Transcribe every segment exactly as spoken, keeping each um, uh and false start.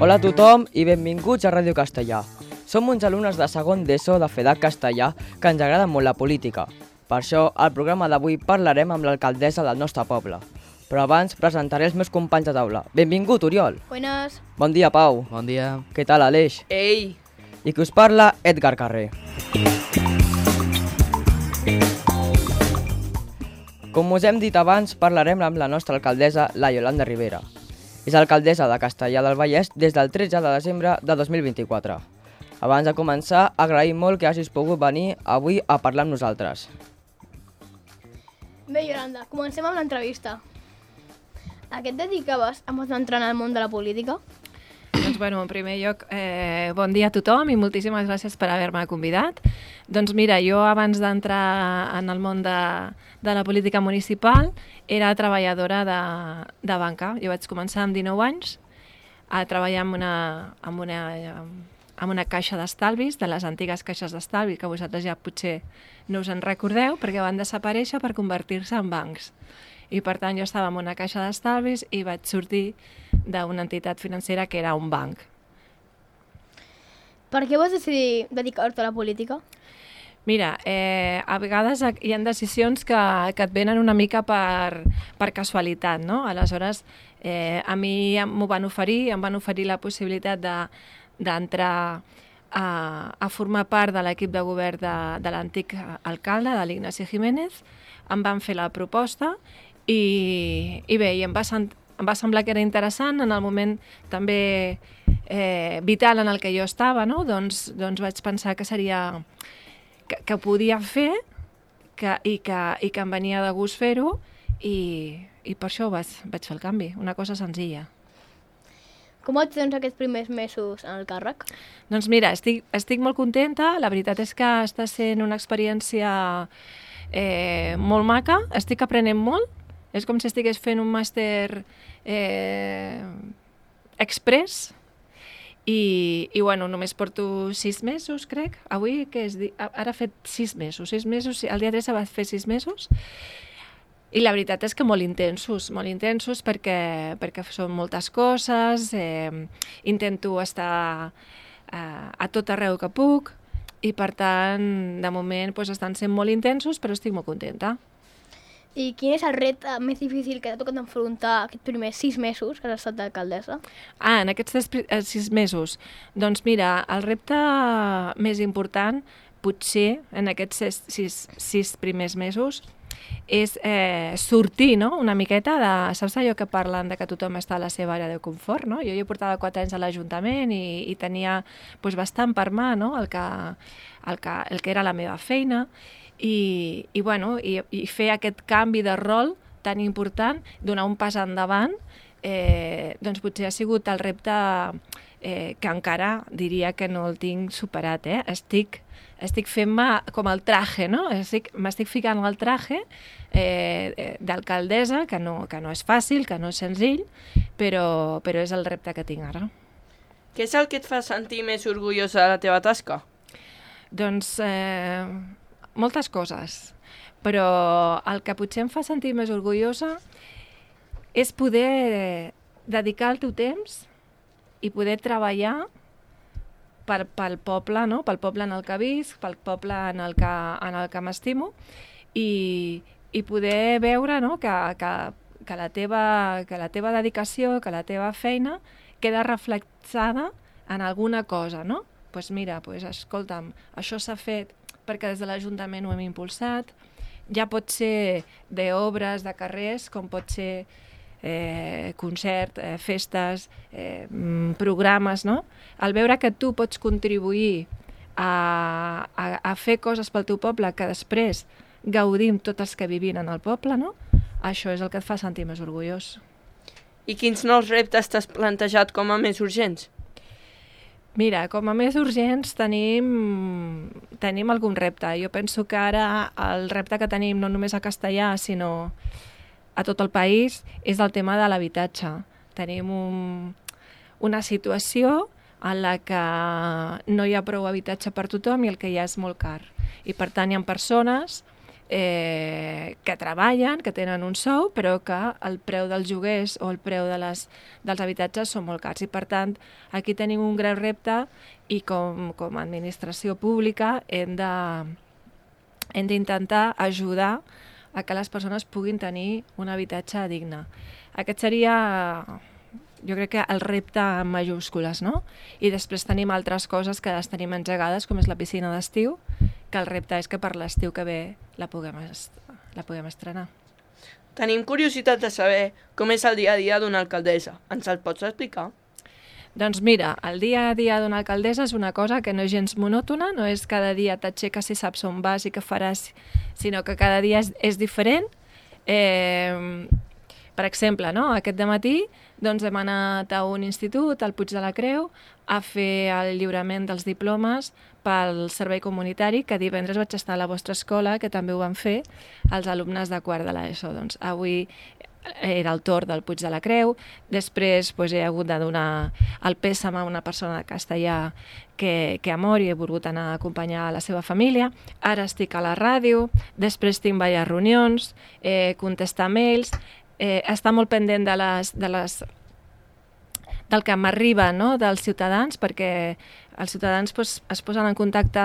Hola a tothom i benvinguts a Ràdio Castellà. Som uns alumnes de segon d'ESO de FEDAC Castellà que ens agrada molt la política. Per això, al programa d'avui parlarem amb l'alcaldessa del nostre poble. Però abans presentaré els meus companys de taula. Benvingut, Oriol. Buenas. Bon dia, Pau. Bon dia. Què tal, Aleix? Ei! I qui us parla, Edgar Carrer. Com us hem dit abans, parlarem amb la nostra alcaldessa, la Yolanda Rivera. És alcaldessa de Castellà del Vallès des del tretze de desembre de dos mil vint-i-quatre. Abans de començar, agraïm molt que hagis pogut venir avui a parlar amb nosaltres. Bé, Yolanda, comencem amb l'entrevista. A què et dedicaves abans d'entrar en el món de la política? Doncs, bueno, en primer lloc, eh, bon dia a tothom i moltíssimes gràcies per haver-me convidat. Doncs mira, jo abans d'entrar en el món de, de la política municipal era treballadora de, de banca. Jo vaig començar amb dinou anys a treballar en una, en una, en una caixa d'estalvis, de les antigues caixes d'estalvi, que vosaltres ja potser no us en recordeu, perquè van desaparèixer per convertir-se en bancs. I per tant jo estava en una caixa d'estalvis i vaig sortir d'una entitat financera que era un banc. Per què vas decidir dedicar-te a la política? Mira, eh, a vegades hi ha decisions que, que et venen una mica per, per casualitat, no? Aleshores, eh, a mi m'ho van oferir, em van oferir la possibilitat de, d'entrar a, a formar part de l'equip de govern de, de l'antic alcalde, de l'Ignasi Jiménez. Em van fer la proposta i, i bé, i em va, em va semblar que era interessant en el moment també eh, vital en el que jo estava, no? doncs, doncs vaig pensar que seria que, que podia fer que, i, que, i que em venia de gust fer-ho i, i per això vaig, vaig fer el canvi, una cosa senzilla. Com et tens aquests primers mesos en el càrrec? Doncs mira, estic, estic molt contenta, la veritat és que està sent una experiència eh, molt maca, estic aprenent molt. És com si estigués fent un màster eh, express i, i bueno, només porto sis mesos, crec. Avui, que és, ara he fet sis mesos, sis mesos, el dia tres va fer sis mesos i la veritat és que molt intensos, molt intensos perquè, perquè són moltes coses, eh, intento estar eh, a tot arreu que puc i per tant, de moment, doncs, estan sent molt intensos, però estic molt contenta. I quin és el repte més difícil que t'ha tocat enfrontar aquests primers sis mesos que has estat d'alcaldessa? Ah, en aquests sis mesos. Doncs mira, el repte més important, potser, en aquests sis, sis, sis primers mesos, és eh, sortir, no?, una miqueta de... Saps allò que parlen de que tothom està a la seva àrea de confort, no? Jo ja portava quatre anys a l'Ajuntament i, i tenia doncs, bastant per mà, no?, el que, el, que, el que era la meva feina. I, i, bueno, i, i fer aquest canvi de rol tan important, donar un pas endavant, eh, doncs potser ha sigut el repte eh, que encara diria que no el tinc superat. Eh? Estic, estic fent-me com el traje, no? Estic, m'estic ficant el traje eh, d'alcaldessa, que no, que no és fàcil, que no és senzill, però, però és el repte que tinc ara. Què és el que et fa sentir més orgullosa de la teva tasca? Doncs... Eh, moltes coses, però el que potser em fa sentir més orgullosa és poder dedicar el teu temps i poder treballar per, pel poble, no? Pel poble en el que visc, pel poble en el que, en el que m'estimo i, i poder veure, no?, que, que, que, la teva, que la teva dedicació, que la teva feina queda reflexada en alguna cosa, no? Doncs pues mira, pues, escolta'm, això s'ha fet perquè des de l'Ajuntament ho hem impulsat, ja pot ser d'obres, de carrers, com pot ser eh, concert, eh, festes, eh, programes, no? Al veure que tu pots contribuir a, a, a fer coses pel teu poble que després gaudim tots els que vivim en el poble, no? Això és el que et fa sentir més orgullós. I quins nous reptes t'has plantejat com a més urgents? Mira, com a més urgents tenim, tenim algun repte. Jo penso que ara el repte que tenim no només a Castellà, sinó a tot el país, és el tema de l'habitatge. Tenim un, una situació en la que no hi ha prou habitatge per tothom i el que hi ha és molt car. I per tant hi ha persones eh, que treballen, que tenen un sou, però que el preu dels lloguers o el preu de les, dels habitatges són molt cars. I per tant, aquí tenim un greu repte i com, com a administració pública hem de, hem d'intentar ajudar a que les persones puguin tenir un habitatge digne. Aquest seria, jo crec que el repte en majúscules, no? I després tenim altres coses que les tenim engegades, com és la piscina d'estiu, que el repte és que per l'estiu que ve la puguem, est la puguem estrenar. Tenim curiositat de saber com és el dia a dia d'una alcaldessa. Ens el pots explicar? Doncs mira, el dia a dia d'una alcaldessa és una cosa que no és gens monòtona, no és cada dia t'aixeques i saps on vas i què faràs, sinó que cada dia és, és diferent. Eh, per exemple, no? Aquest dematí doncs, hem anat a un institut, al Puig de la Creu, a fer el lliurament dels diplomes pel servei comunitari, que divendres vaig estar a la vostra escola, que també ho van fer els alumnes de quart de l'ESO. Doncs avui era el torn del Puig de la Creu, després doncs, he hagut de donar el pèsam a una persona de Castellà que, que ha mort i he volgut anar a acompanyar la seva família. Ara estic a la ràdio, després tinc diverses reunions, eh, contestar mails, eh, estar molt pendent de les, de les, del que m'arriba, no?, dels ciutadans, perquè els ciutadans pues, es posen en contacte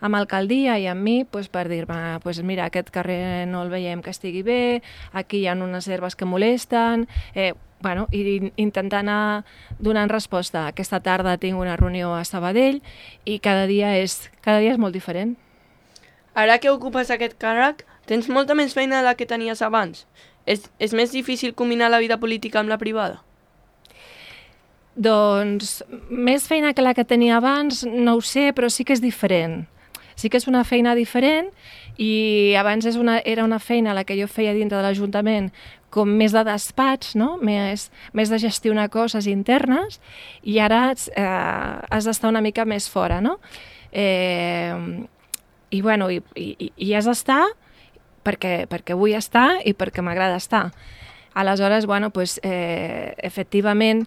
amb l'alcaldia i amb mi pues, per dir-me, pues, mira, aquest carrer no el veiem que estigui bé, aquí hi ha unes herbes que molesten, eh, bueno, i intentar anar donant resposta. Aquesta tarda tinc una reunió a Sabadell i cada dia és, cada dia és molt diferent. Ara que ocupes aquest càrrec, tens molta més feina de la que tenies abans. És, és més difícil combinar la vida política amb la privada? Doncs més feina que la que tenia abans, no ho sé, però sí que és diferent. Sí que és una feina diferent i abans és una, era una feina la que jo feia dintre de l'Ajuntament com més de despatx, no? més, més de gestionar coses internes i ara eh, has d'estar una mica més fora. No? Eh, I, bueno, i, i, i has d'estar perquè, perquè vull estar i perquè m'agrada estar. Aleshores, bueno, pues, eh, efectivament,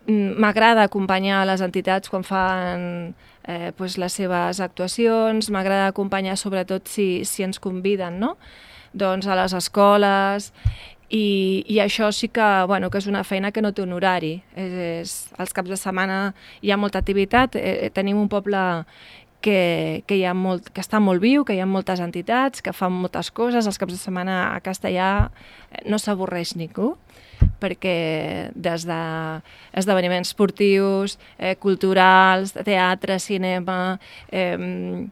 m'agrada acompanyar les entitats quan fan eh, pues les seves actuacions, m'agrada acompanyar sobretot si, si ens conviden, no? Doncs a les escoles, i, i això sí que, bueno, que és una feina que no té un horari. És, és, els caps de setmana hi ha molta activitat, eh, tenim un poble que, que, hi ha molt, que està molt viu, que hi ha moltes entitats, que fan moltes coses, els caps de setmana a Castellà no s'avorreix ningú, perquè des d'esdeveniments esportius, eh, culturals, teatre, cinema, eh,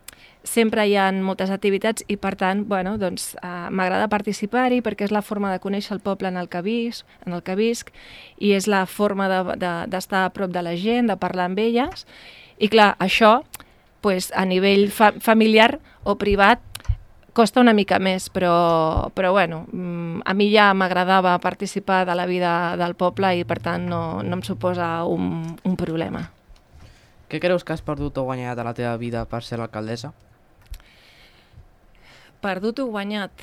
sempre hi ha moltes activitats i per tant, bueno, doncs, eh, m'agrada participar-hi perquè és la forma de conèixer el poble en el que visc, en el que visc i és la forma d'estar de, de, a prop de la gent, de parlar amb elles i clar, això pues, a nivell fa familiar o privat costa una mica més, però, però bueno, a mi ja m'agradava participar de la vida del poble i per tant no, no em suposa un, un problema. Què creus que has perdut o guanyat a la teva vida per ser l'alcaldessa? Perdut o guanyat?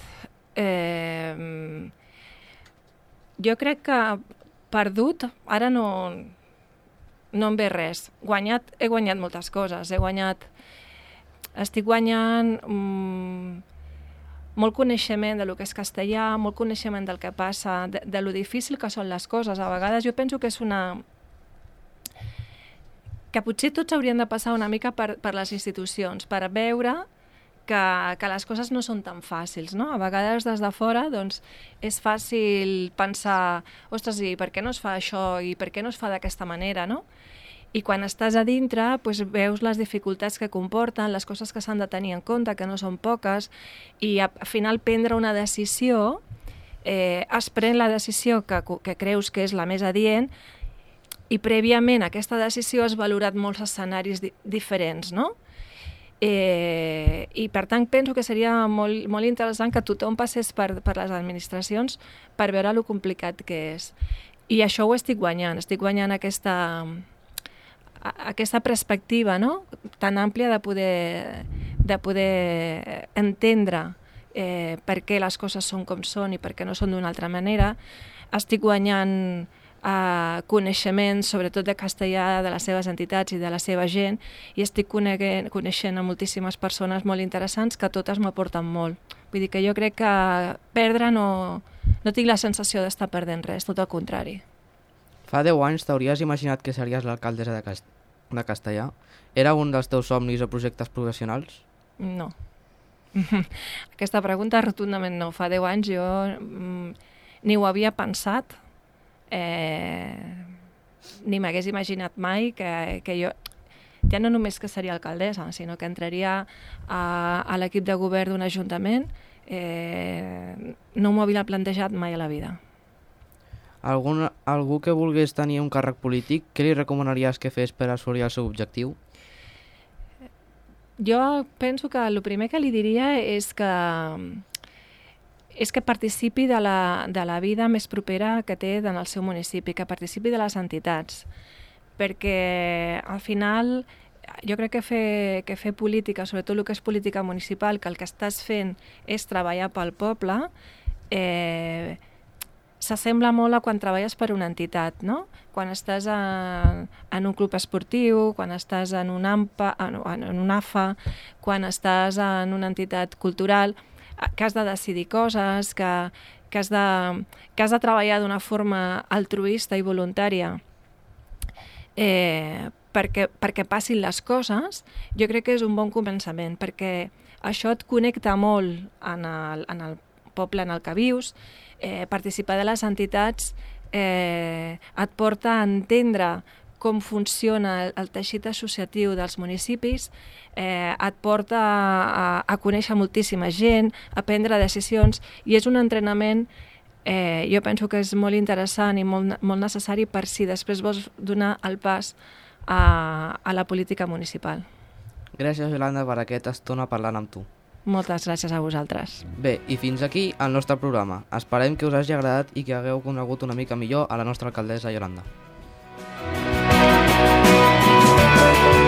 Eh, jo crec que perdut ara no, no em ve res. Guanyat, he guanyat moltes coses. He guanyat, estic guanyant mm, molt coneixement de lo que és castellà, molt coneixement del que passa, de, de lo difícil que són les coses. A vegades jo penso que és una... que potser tots haurien de passar una mica per, per les institucions, per veure que, que les coses no són tan fàcils, no? A vegades des de fora doncs, és fàcil pensar ostres, i per què no es fa això i per què no es fa d'aquesta manera, no? I quan estàs a dintre doncs, veus les dificultats que comporten, les coses que s'han de tenir en compte, que no són poques, i al final prendre una decisió, eh, es pren la decisió que, que creus que és la més adient i prèviament a aquesta decisió has valorat molts escenaris di diferents, no? Eh, I per tant penso que seria molt, molt interessant que tothom passés per, per les administracions per veure lo complicat que és. I això ho estic guanyant, estic guanyant aquesta... aquesta perspectiva, no? Tan àmplia de poder, de poder entendre eh, per què les coses són com són i per què no són d'una altra manera. Estic guanyant eh, coneixement, sobretot de castellà, de les seves entitats i de la seva gent, i estic coneixent a moltíssimes persones molt interessants que totes m'aporten molt. Vull dir que jo crec que perdre no, no tinc la sensació d'estar perdent res, tot el contrari. Fa deu anys t'hauries imaginat que series l'alcaldessa de, Cast de Castellà? Era un dels teus somnis o projectes professionals? No. Aquesta pregunta rotundament no. Fa deu anys jo mm, ni ho havia pensat, eh, ni m'hagués imaginat mai que, que jo, ja no només que seria alcaldessa, sinó que entraria a, a l'equip de govern d'un ajuntament, eh, no m'ho havia plantejat mai a la vida. Algun, algú que volgués tenir un càrrec polític, què li recomanaries que fes per assolir el seu objectiu? Jo penso que el primer que li diria és que és que participi de la, de la vida més propera que té en el seu municipi, que participi de les entitats, perquè al final jo crec que fer, que fer política, sobretot el que és política municipal, que el que estàs fent és treballar pel poble, eh, s'assembla molt a quan treballes per una entitat, no? Quan estàs en, en un club esportiu, quan estàs en un AMPA, en, en un A F A, quan estàs en una entitat cultural, que has de decidir coses, que, que, has, de, que has de treballar d'una forma altruista i voluntària eh, perquè, perquè passin les coses, jo crec que és un bon començament, perquè això et connecta molt en el, en el poble en el que vius, eh, participar de les entitats eh, et porta a entendre com funciona el, el teixit associatiu dels municipis, eh, et porta a, a conèixer moltíssima gent, a prendre decisions, i és un entrenament, eh, jo penso que és molt interessant i molt, molt necessari per si després vols donar el pas a, a la política municipal. Gràcies, Yolanda, per aquesta estona parlant amb tu. Moltes gràcies a vosaltres. Bé, i fins aquí el nostre programa. Esperem que us hagi agradat i que hagueu conegut una mica millor a la nostra alcaldessa Yolanda. Thank you.